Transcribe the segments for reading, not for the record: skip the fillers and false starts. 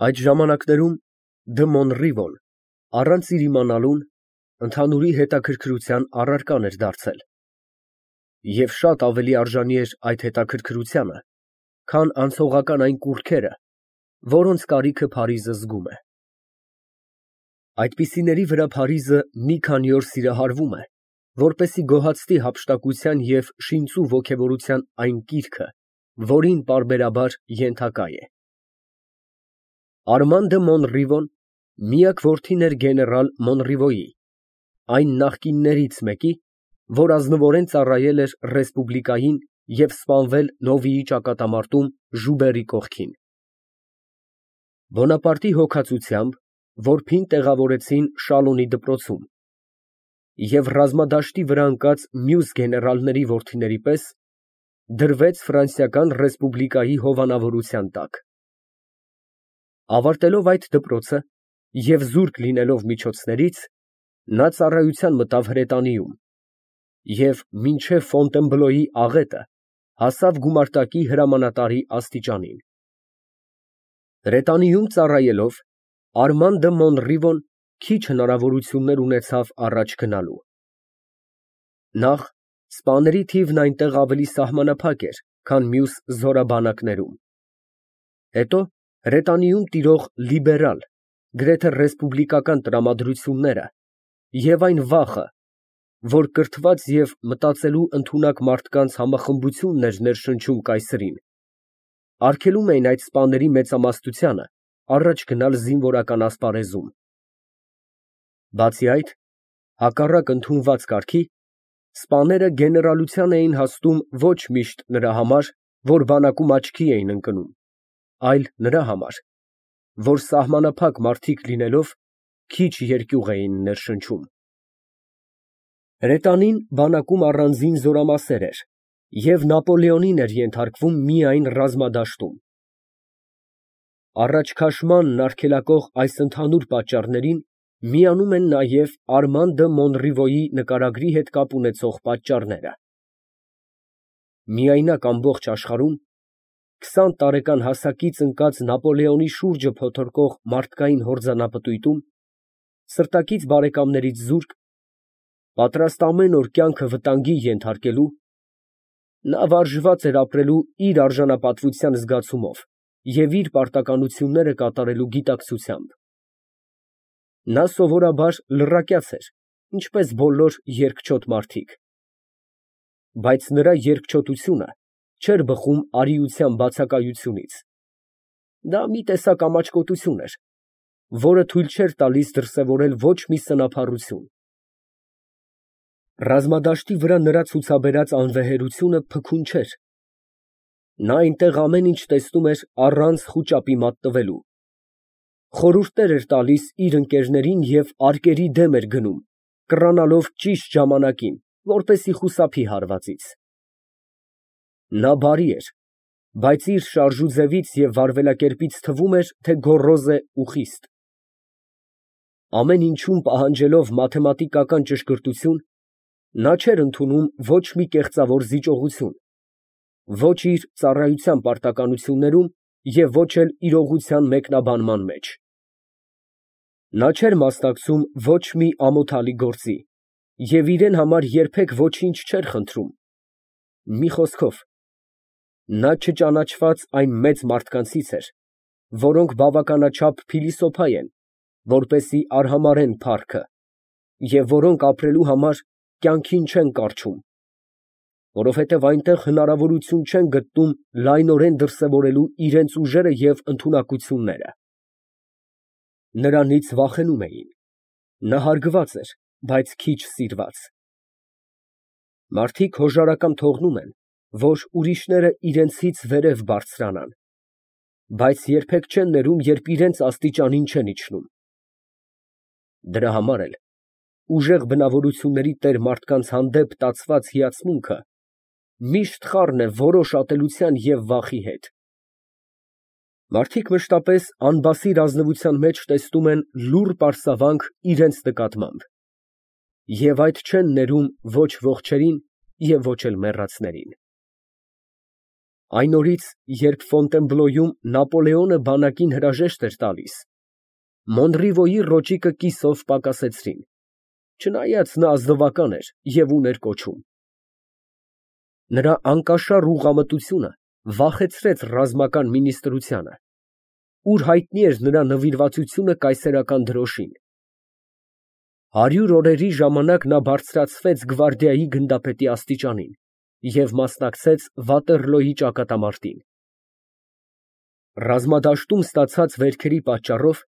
Այդ ժամանակներում Դը Մոնրիվոն, առանց իր իմանալուն, ընդհանուրի հետաքրքրության առարկան էր դարձել, և շատ ավելի արժանի էր այդ հետաքրքրությանը, քան անցողական այն կուռքերը, որոնց կարիքը Փարիզը զգում է։ Այդպիսիների վրա Փարիզը մի քանի օր սիրահարվում է, որպեսզի գոհացնի հափշտակության և շինծու ոգևորության այն կիրքը, որին պարբերաբար ենթակա է։ Արման դը Մոնրիվոն միակ որդին էր գեներալ Մոնրիվոյի, այն նախկիններից մեկի, որ ազնվորեն ծառայել էր ռեսպուբլիկային և սպանվել Նովիի ճակատամարտում Ժուբերի կողքին։ Բոնապարտի հոգացությամբ որբին տեղավորեցին Շալոնի դպրոցում, և ռազմադաշտի վրա ընկած մյուս գեներալների որդիների պես դրվեց Ֆրանսիական ռեսպուբլիկայի հովանավորության տակ։ Ավարտելով այդ դպրոցը և զուրկ լինելով միջոցներից, նա ծառայության մտավ Հրետանիում և մինչև Ֆոնտենբլոյի աղետը հասավ գումարտակի հրամանատարի աստիճանին։ Հրետանիում ծառայելով, Արման դը Մոնրիվոն քիչ հնարավորություններ ունեցավ առաջ գնալու։ Նախ, սպաների թիվն այնտեղ ավելի սահմանափակ էր, քան մյուս զորաբանակներում։ Հետո Հրետանիում տիրող լիբերալ, գրեթե ռեսպուբլիկական տրամադրությունները և այն վախը, որ կրթված և մտածելու ընդունակ մարդկանց համախմբությունն էր ներշնչում կայսրին, արգելում էին այդ սպաների մեծամասնությանը առաջ գնալ զինվորական ասպարեզում։ Բացի այդ, հակառակ ընդունված կարգի, սպաները գեներալության էին հասնում ոչ միշտ նրա համար, որ բանակում աչքի էին ընկնում, այլ նրա համար, որ սահմանափակ մարդիկ լինելով, քիչ երկյուղ էին ներշնչում։ Հրետանին բանակում առանձին զորամասեր էր և Նապոլեոնին էր ենթարկվում միայն ռազմադաշտում։ Առաջ քաշմանն արգելակող այս ընդհանուր պատճառներին միանում են նաև Արման դը Մոնրիվոյի նկարագրի հետ կապ ունեցող պատճառները։ Միայնակ ամբողջ աշխարհում 20 տարեկան հասակից ընկած Նապոլեոնի շուրջը փոթորկող մարդկային հորձանապտույտում, սրտակից բարեկամներից զուրկ, պատրաստ ամեն օր կյանքը վտանգի ենթարկելու, նա վարժված էր ապրելու իր արժանապատվության զգացումով և իր պարտականությունները կատարելու գիտակցությամբ։ Նա սովորաբար լռակյաց էր, ինչպես բոլոր երկչոտ մարդիկ։ Բայց նրա երկչոտությունը չէր բխում արիության բացակայությունից. դա մի տեսակ ամաչկոտություն էր, որը թույլ չէր տալիս դրսևորել ոչ մի սնափառություն։ Ռազմադաշտի վրա նրա ցուցաբերած անվեհերությունը փքուն չէր. նա այնտեղ ամեն ինչ տեսնում էր առանց խուճապի մատնվելու, խորհուրդներ էր տալիս իր ընկերներին և արկերի դեմ էր գնում, կռանալով ճիշտ ժամանակին, որպեսզի խուսափի հարվածից։ Նա բարի էր, բայց իր շարժուձևից և վարվելակերպից թվում էր, թե գոռոզ է ու խիստ։ Ամեն ինչում պահանջելով մաթեմատիկական ճշգրտություն, նա չէր ընդունում ոչ մի կեղծավոր զիջողություն, ոչ իր ծառայության պարտականություններում և ոչ էլ իրողության մեկնաբանման մեջ։ Նա չէր մասնակցում ոչ մի ամոթալի գործի և իրեն համար երբեք ոչինչ չէր խնդրում, մի խոսքով, նա չճանաչված այն մեծ մարդկանցից էր, որոնք բավականաչափ փիլիսոփա են, որպեսզի արհամարհեն փառքը, և որոնք ապրելու համար կյանքին չեն կառչում, որովհետև այնտեղ հնարավորություն չեն գտնում լայնորեն դրսևորելու իրենց ուժերը և ընդունակությունները։ Նրանից վախենում էին, նա հարգված էր, բայց քիչ սիրված։ Մարդիկ հոժարակամ թողնում են, որ ուրիշները իրենցից վերև բարձրանան, բայց երբեք չեն ներում, երբ իրենց աստիճանին չեն իջնում։ Դրա համար էլ ուժեղ բնավորությունների տեր մարդկանց հանդեպ տածված հիացմունքը միշտ խառն է որոշ ատելության և վախի հետ։ Մարդիկ մշտապես անբասիր ազնվության մեջ տեսնում են լուռ պարսավանք իրենց նկատմամբ և այդ չեն ներում ոչ ողջերին և ոչ էլ մեռածներին։ Այն օրից, երբ Ֆոնտենբլոյում Նապոլեոնը բանակին հրաժեշտ էր տալիս, Մոնրիվոյի ռոճիկը կիսով պակասեցրին, չնայած նա ազնվական էր և ուներ կոչում։ Նրա անկաշառ ուղղամտությունը վախեցրեց ռազմական մինիստրությանը, ուր հայտնի էր նրա նվիրվածությունը կայսերական դրոշին։ 100 օրերի ժամանակ նա բարձրացվեց գվարդիայի գնդապետի աստիճանին և մասնակցեց Վատերլոյի ճակատամարտին։ Ռազմադաշտում ստացած վերքերի պատճառով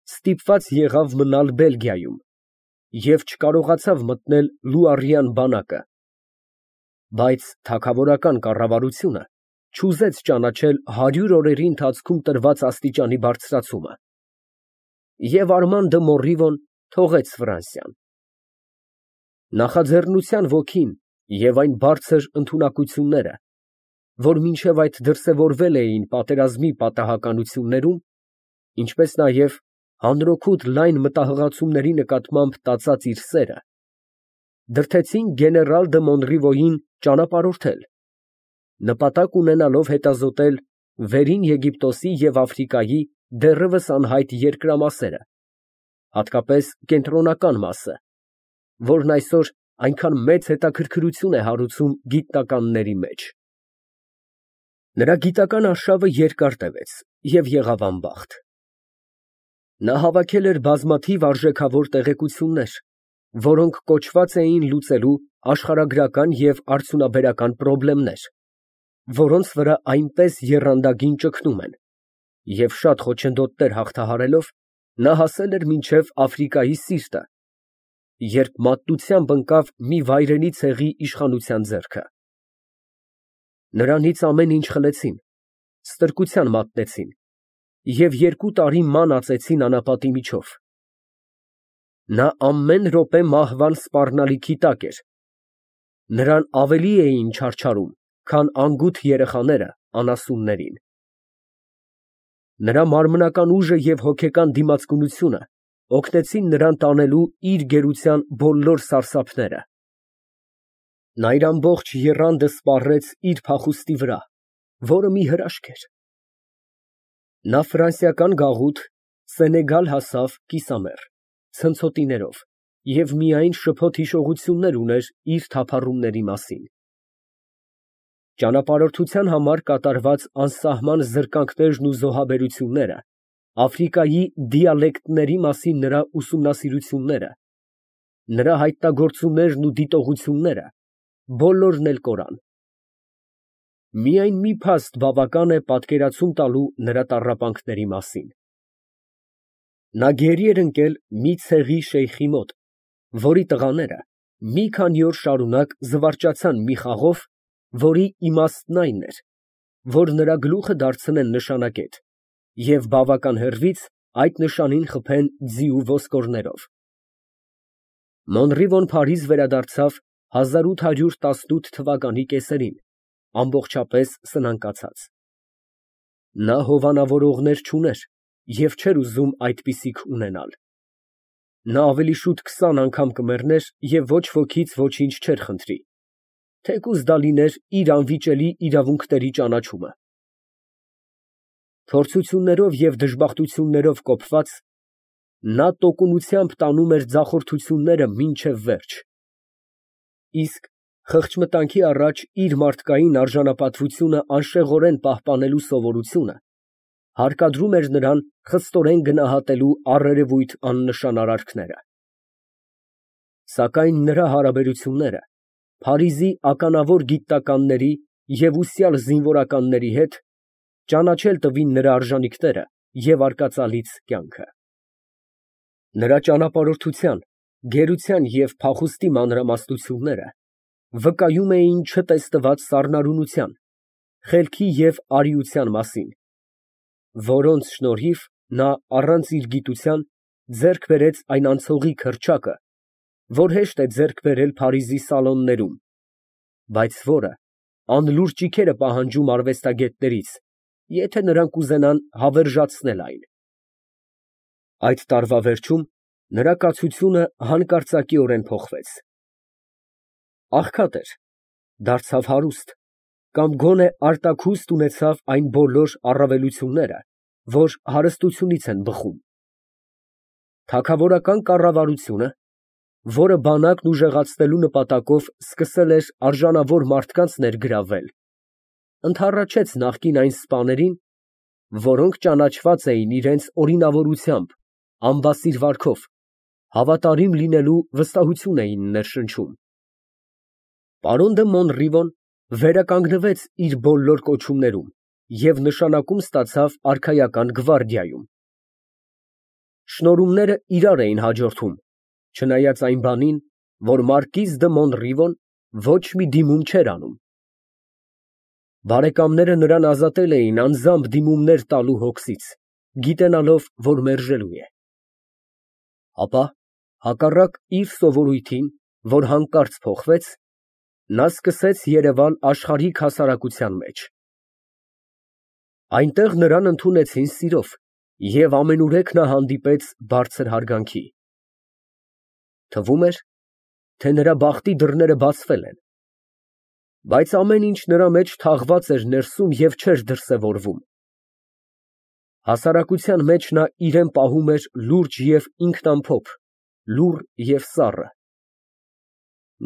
ստիպված եղավ մնալ Բելգիայում և չկարողացավ մտնել Լուարյան բանակը, բայց թագավորական կառավարությունը չուզեց ճանաչել 100 օրերի ընթացքում տրված աստիճանի բարձրացումը, և Արման դը Մորրիվոն թողեց Ֆրանսիան։ Նախաձեռնության ոգին և այն բարձր ընդունակությունները, որ մինչև այդ դրսևորվել էին պատերազմի պատահականություններում, ինչպես նաև հանրօգուտ լայն մտահղացումների նկատմամբ տածած իր սերը, դրդեցին գեներալ դը Մոնրիվոյին ճանապարհորդել, նպատակ ունենալով հետազոտել Վերին Եգիպտոսի և Աֆրիկայի դեռևս անհայտ երկրամասերը, հատկապես կենտրոնական մասը, որն այսօր այնքան մեծ հետաքրքրություն է հարուցում գիտնականների մեջ։ Նրա գիտական արշավը երկար տևեց և եղավ անբախտ։ Նա հավաքել էր բազմաթիվ արժեքավոր տեղեկություններ, որոնք կոչված էին լուծելու աշխարհագրական և արդյունաբերական պրոբլեմներ, որոնց վրա այնպես եռանդագին ճգնում են, և շատ խոչընդոտներ հաղթահարելով, նա հասել էր մինչև Աֆրիկայի սիրտը, երբ մատնությամբ ընկավ մի վայրենի ցեղի իշխանության ձեռքը։ Նրանից ամեն ինչ խլեցին, ստրկության մատնեցին և 2 տարի ման ածեցին անապատի միջով։ Նա ամեն րոպե մահվան սպառնալիքի տակ էր, նրան ավելի էին չարչարում, քան անգութ երեխաները անասուններին։ Նրա մարմնական ուժը և հոգեկան դիմացկունությունը օգնեցին նրան տանելու իր գերության բոլոր սարսափները։ Նա իր ամբողջ եռանդը սպառեց իր փախուստի վրա, որը մի հրաշք էր։ Նա ֆրանսիական գաղութ Սենեգալ հասավ կիսամեռ, ցնցոտիներով և միայն շփոթ հիշողություններ ուներ իր թափառումների մասին։ Ճանապարհորդության համար կատարված անսահման զրկանքներն ու զոհաբերությունները, Աֆրիկայի դիալեկտների մասին նրա ուսումնասիրությունները, նրա հայտնագործումներն ու դիտողությունները, բոլորն էլ կորան։ Միայն մի փաստ բավական է պատկերացում տալու նրա տառապանքների մասին։ Նա գերի էր ընկել մի ցեղի շեյխի մոտ, որի տղաները մի քանի օր շարունակ զվարճացան մի խաղով, որի իմաստն այն էր, որ նրա գլուխը դարձնեն նշանակետ և բավական հեռվից այդ նշանին խփեն ձի ու ոսկորներով։ Մոնրիվոն Փարիզ վերադարձավ 1818 թվականի կեսերին, ամբողջապես սնանկացած։ Նա հովանավորողներ չուներ և չէր ուզում այդպիսիք ունենալ։ Նա ավելի շուտ 20 անգամ կմեռներ և ոչ ոքից ոչինչ չէր խնդրի, թեկուզ դա լիներ իր անվիճելի իրավունքների ճանաչումը։ Փորձություններով և դժբախտություններով կոփված, նա տոկունությամբ տանում էր ձախորդությունները մինչև վերջ, իսկ խղճմտանքի առաջ իր մարդկային արժանապատվությունը անշեղորեն պահպանելու սովորությունը հարկադրում էր նրան խստորեն գնահատելու առերևույթ աննշան արարքները։ Սակայն նրա հարաբերությունները Փարիզի ականավոր գիտնականների և ուսյալ զինվորականների հետ ճանաչել տվին նրա արժանիքները և արկածալից կյանքը։ Նրա ճանապարհորդության, գերության և փախուստի մանրամասնությունները վկայում էին չտեսնված սառնարյունության, խելքի և արիության մասին, որոնց շնորհիվ նա առանց իր գիտության ձեռք բերեց այն անցողիկ հռչակը, որ հեշտ է ձեռք բերել Փարիզի սալոններում, բայց որը անլուռ ճիգեր է պահանջում արվեստագետներից, եթե նրանք ուզենան հավերժացնել այն։ Այդ տարվա վերջում նրա կացությունը հանկարծակիորեն փոխվեց։ Աղքատ էր, դարձավ հարուստ, կամ գոնե արտաքուստ ունեցավ այն բոլոր առավելությունները, որ հարստությունից են բխում։ Թագավորական կառավարությունը, որը բանակն ուժեղացնելու նպատակով սկսել էր արժանավոր մարդկանց ներգրավվել, ընդառաջեց նախկին այն սպաներին, որոնք ճանաչված էին իրենց օրինավորությամբ, անբասիր վարքով, հավատարիմ լինելու վստահություն էին ներշնչում։ Պարոն դը Մոնրիվոն վերականգնվեց իր բոլոր կոչումներում և նշանակում ստացավ արքայական գվարդիայում։ Շնորհումները իրար էին հաջորդում, չնայած այն բանին, որ մարկիզ դը Մոնրիվոն ոչ մի դիմում չէր անում։ Բարեկամները նրան ազատել էին անձամբ դիմումներ տալու հոգսից, գիտենալով, որ մերժելու է։ Ապա, հակառակ իր սովորույթին, որ հանկարծ փոխվեց, նա սկսեց երևալ աշխարհիկ հասարակության մեջ։ Այնտեղ նրան ընդունեցին սիրով և ամենուրեք նա հանդիպեց բարձր հարգանքի։ Թվում էր, թե նրա բախտի դռները բացվել են, բայց ամեն ինչ նրա մեջ թաղված էր ներսում և չէր դրսևորվում։ Հասարակության մեջ նա իրան պահում էր լուրջ և ինքնամփոփ, լուռ և սառը։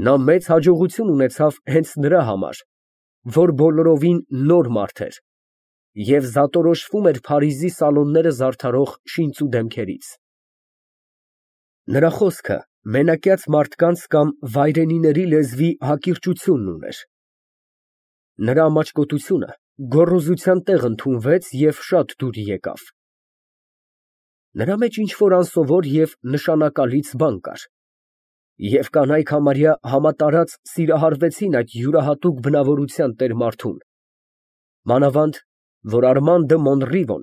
Նա մեծ հաջողություն ունեցավ հենց նրա համար, որ բոլորովին նոր մարդ էր և զատորոշվում էր Փարիզի սալոնները զարդարող շինծու դեմքերից։ Նրա խոսքը մենակյաց մարդկանց կամ վայրենիների լեզվի հակիրճությունն ուներ։ Նրա ամաչկոտությունը գոռոզության տեղ ընդունվեց և շատ դուր եկավ։ Նրա մեջ ինչ֊որ անսովոր և նշանակալից բան կար, և կանայք համարյա համատարած սիրահարվեցին այդ յուրահատուկ բնավորության տեր֊մարդուն, մանավանդ որ Արման դը Մոնրիվոն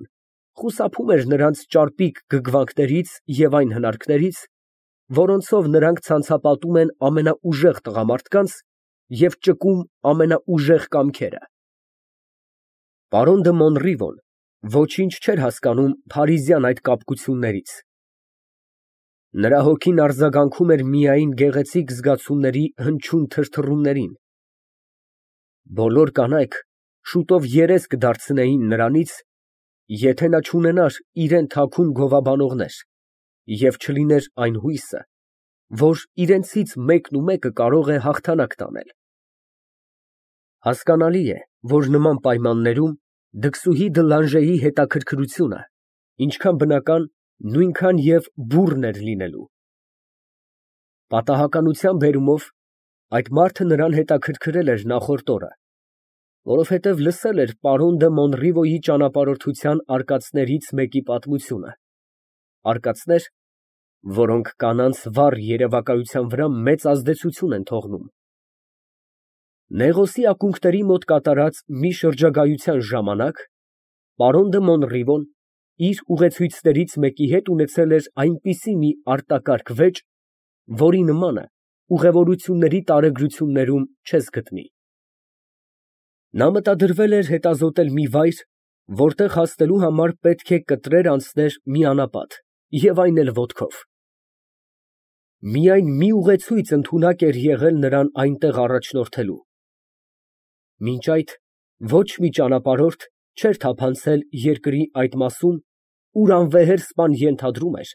խուսափում էր նրանց ճարպիկ գգվանքներից և այն հնարքներից, որոնցով նրանք ցանցապատում են ամենաուժեղ տղամարդկանց և ճկում ամենաուժեղ կամքերը։ Պարոն դը Մոնրիվոն ոչինչ չէր հասկանում փարիզյան այդ կապկություններից։ Նրա հոգին արձագանքում էր միայն գեղեցիկ զգացումների հնչյուն թրթռումներին։ Բոլոր կանայք շուտով երես կդարձնեին նրանից, եթե նա չունենար իրան թաքուն գովաբանողներ և չլիներ այն հույսը, որ իրենցից մեկը կարող է հաղթանակ տանել։ Հասկանալի է, որ նման պայմաններում դքսուհի դը Լանժեի հետաքրքրությունը ինչքան բնական, նույնքան և բուռն էր լինելու։ Պատահականության բերումով այդ մարդը նրան հետաքրքրել էր նախորդ օրը, որովհետև լսել էր պարոն դը Մոնրիվոյի ճանապարհորդության արկածներից մեկի պատմությունը, արկածներ, որոնք կանանց վառ երևակայության վրա մեծ ազդեցություն են թողնում։ Նեղոսի ակունքների մոտ կատարած մի շրջագայության ժամանակ պարոն դը Մոնրիվոն իր ուղեկիցներից մեկի հետ ունեցել էր այնպիսի մի արտակարգ վեճ, որի նմանը ուղևորությունների տարեգրություններում չես գտնի։ Նա մտադրվել էր հետազոտել մի վայր, որտեղ հասնելու համար պետք է կտրեր անցներ մի անապատ, և այն էլ ոտքով։ Միայն մի ուղեցույց ընդունակ էր եղել նրան այնտեղ առաջնորդելու։ Մինչ այդ ոչ մի ճանապարհորդ չէր թափանցել երկրի այդ մասում, ուր անվեհեր սպան ենթադրում էր,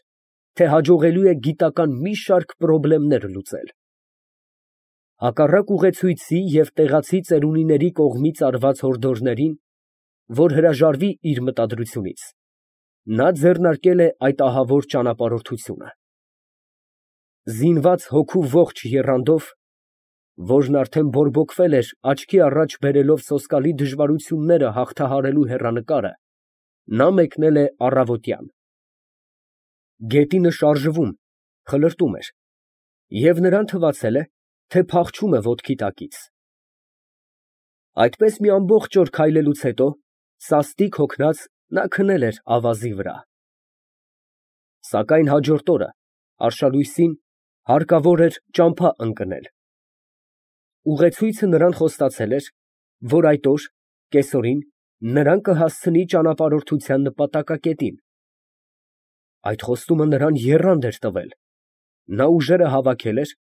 թե հաջողելու է գիտական մի շարք պրոբլեմներ լուծել։ Հակառակ ուղեցույցի և տեղացի ծերունիների կողմից արված հորդորներին, որ հրաժարվի իր մտադրությունից, նա ձեռնարկել է այդ ահավոր ճանապարհորդությունը։ Զինված հոգու ողջ եռանդով, որն արդեն բորբոքվել էր աչքի առաջ բերելով սոսկալի դժվարությունները հաղթահարելու հեռանկարը, նա մեկնել է առավոտյան։ Գետինը շարժվում, խլրտում էր, և նրան թվացել է, թե փախչում է ոտքի տակից։ Այդպես մի ամբողջ օր քայլելուց հետո, սաստիկ հոգնած, նա քնել էր ավազի վրա։ Սակայն հաջորդ օրը, արշալույսին, հարկավոր էր ճամփա ընկնել։ Ուղեցույցը նրան խոստացել էր, որ այդ օր, կեսօրին, նրան կհասցնի ճանապարհորդության նպատակակետին։ Այդ խոստումը նրան եռանդ էր տվել։ Նա ուժերը հավաքել էր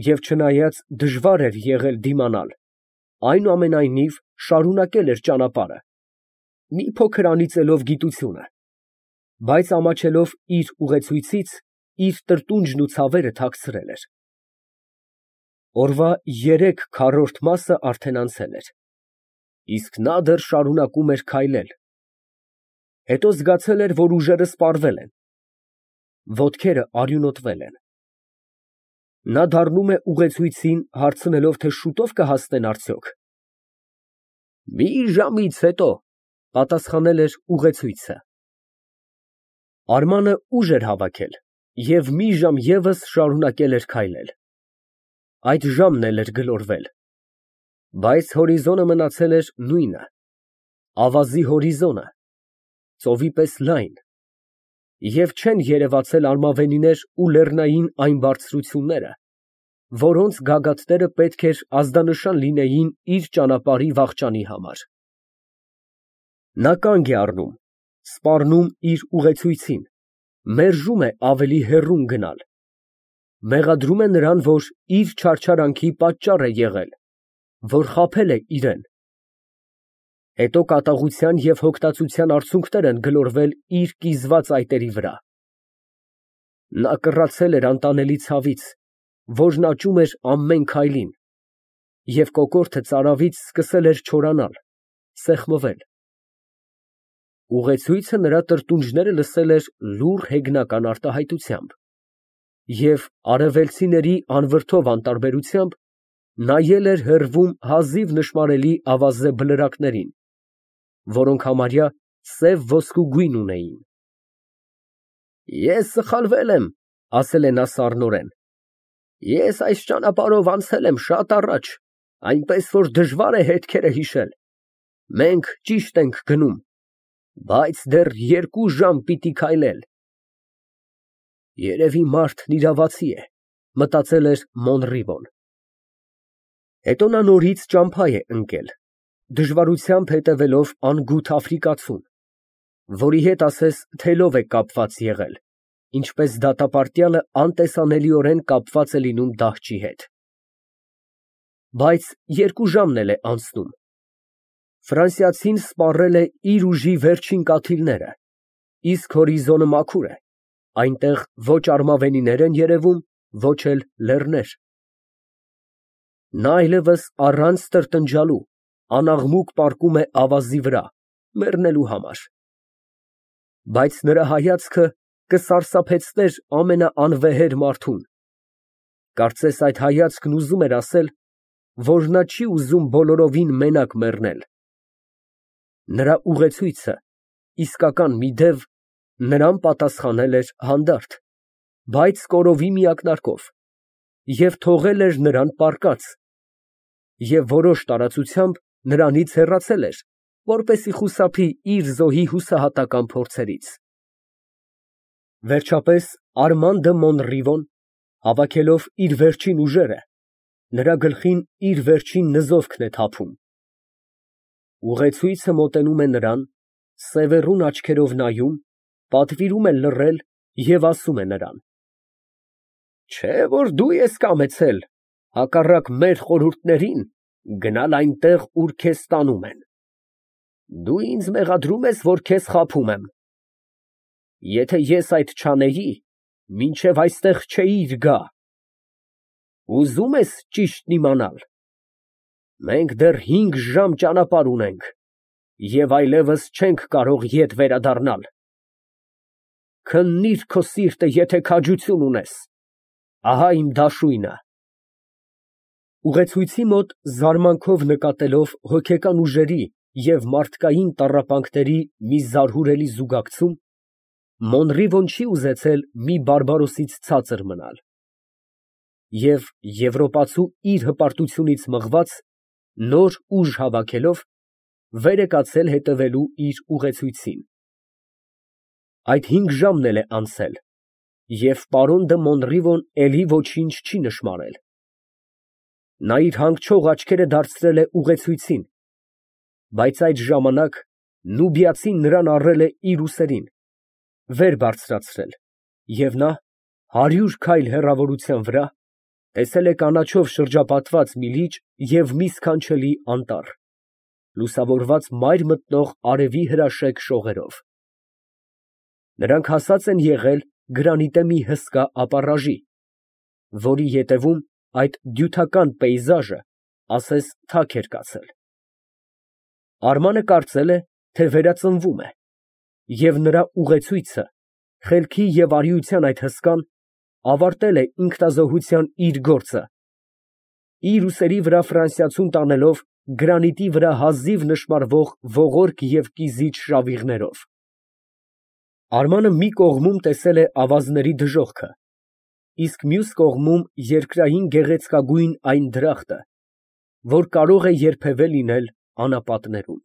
և չնայած դժվար էր եղել դիմանալ, այնուամենայնիվ շարունակել էր ճանապարհը, մի փոքր անիծելով գիտությունը, բայց ամաչելով իր ուղեցույցից, իր տրտունջն ու ցավերը թաքցրել էր։ Օրվա 3/4 մասը արդեն անցել էր, իսկ նա դեռ շարունակում էր քայլել։ Հետո զգացել էր, որ ուժերը սպառվել են, ոտքերը արյունոտվել են։ Նա դառնում է ուղեցույցին, հարցնելով, թե շուտով կհասնեն արդյոք։ Մի ժամից հետո, պատասխանել էր ուղեցույցը։ Արմանը ուժ էր հավաքել և մի ժամ ևս շարունակել էր քայլել։ Այդ ժամն էլ էր գլորվել, բայց հորիզոնը մնացել էր նույնը, ավազի հորիզոնը, ծովի պես լայն, և չեն երևացել արմավենիներ ու լեռնային այն բարձրությունները, որոնց գագաթները պետք էր ազդանշան լինեին իր ճանապարհի վախճանի համար։ Նա կանգ է առնում, սպառնում իր ուղեցույցին, մերժում է ավելի հեռուն գնալ, մեղադրում է նրան, որ իր չարչարանքի պատճառ է եղել, որ խաբել է իրան։ Հետո կատաղության և հոգտածության արցունքներ են գլորվել իր կիզված այտերի վրա։ Նա կռացել էր անտանելի ցավից, որն աճում էր ամեն քայլին, և կոկորդը ծարավից սկսել էր չորանալ, սեղմվել։ Ուղեցույցը նրա տրտունջները լսել էր լուռ հեգնական արտահայտությամբ և արևելցիների անվրդով անտարբերությամբ նայել էր հեռվում հազիվ նշմարելի ավազե բլրակներին, որոնք համարյա սև ոսկու գույն ունեին։ Ես սխալվել եմ, ասել է նա սառնորեն։ Ես այս ճանապարհով անցել եմ շատ առաջ, այնպես որ դժվար է հետքերը հիշել։ Մենք ճիշտ ենք գնում, բայց դեռ 2 ժամ պիտի քայլել։ Երևի մարդն իրավացի է, մտածել էր Մոնրիվոն։ Հետո նա նորից ճամփա է ընկել, դժվարությամբ հետևելով անգութ աֆրիկացուն, որի հետ ասես թելով է կապված եղել, ինչպես դատապարտյալը անտեսանելիորեն կապված է լինում դահչի հետ։ Բայց 2 ժամն էլ է անցնում։ Ֆրանսիացին սպառել է իր ուժի վերջին կաթիլները, իսկ հորիզոնը մաքուր է, այնտեղ ոչ արմավենիներ են երևում, ոչ էլ լեռներ։ Նա այլևս առանց տրտնջալու անաղմուկ պառկում է ավազի վրա, մեռնելու համար։ Բայց նրա հայացքը կսարսափեցներ ամենաանվեհեր մարդուն։ Կարծես այդ հայացքն ուզում էր ասել, որ նա չի ուզում բոլորովին մենակ մեռնել։ Նրա ուղեցույցը, իսկական մի դև, նրան պատասխանել էր հանդարտ, բայց կորովի միակնարկով, և թողել էր նրան պառկած, և որոշ տարածությամբ նրանից հեռացել էր, որպեսզի խուսափի իր զոհի հուսահատական փորձերից։ Վերջապես Արման դը Մոնրիվոն, հավաքելով իր վերջին ուժերը, նրա գլխին իր վերջին նզովքն է թափում։ Ուղեցույցը մոտենում է նրան, սևեռուն աչքերով նայում, պատվիրում է լռել և ասում է նրան. Չէ՞ որ դու ես կամեցել, հակառակ մեր խորհուրդներին, գնալ այնտեղ, ուր քեզ տանում են։ Դու ինձ մեղադրում ես, որ քեզ խաբում եմ։ Եթե ես այդ չանեի, մինչև այստեղ չէիր գա։ Ուզո՞ւմ ես ճիշտն իմանալ։ Մենք դեռ 5 ժամ ճանապարհ ունենք և այլևս չենք կարող ետ վերադառնալ։ Քննիր քո սիրտը, եթե քաջություն ունես, ահա իմ դաշույնը։ Ուղեցույցի մոտ զարմանքով նկատելով հոգեկան ուժերի և մարդկային տառապանքների մի զարհուրելի զուգակցում, Մոնրիվոն չի ուզեցել մի բարբարոսից ցածր մնալ և եվրոպացու իր հպարտությունից մղված, նոր ուժ հավաքելով, վեր է կացել հետևելու իր ուղեցույցին։ Այդ 5 ժամն էլ է անցել, և պարոն դը Մոնրիվոն էլի ոչինչ չի նշմարել։ Նա իր հանգչող աչքերը դարձրել է ուղեցույցին, բայց այդ ժամանակ նուբիացին նրան առել է իր ուսերին, վեր բարձրացրել, և նա 100 քայլ հեռավորության վրա տեսել է կանաչով շրջապատված մի լիճ և մի սքանչելի անտառ, լուսավորված մայր մտնող արևի հրաշեկ շողերով։ Նրանք հասած են եղել գրանիտե մի հսկա ապառաժի, որի ետևում այդ դյութական պեյզաժը ասես թաք էր կացել։ Արմանը կարծել է, թե վերածնվում է, և նրա ուղեցույցը խելքի և արիության այդ հսկան ավարտել է ինքնազոհության իր գործը, իր ուսերի վրա ֆրանսիացուն տանելով գրանիտի վրա հազիվ նշմարվող ողորկ և կիզիչ շավիղներով։ Արմանը մի կողմում տեսել է ավազների դժոխքը, իսկ մյուս կողմում երկրային գեղեցկագույն այն դրախտը, որ կարող է երբևէ լինել անապատներում։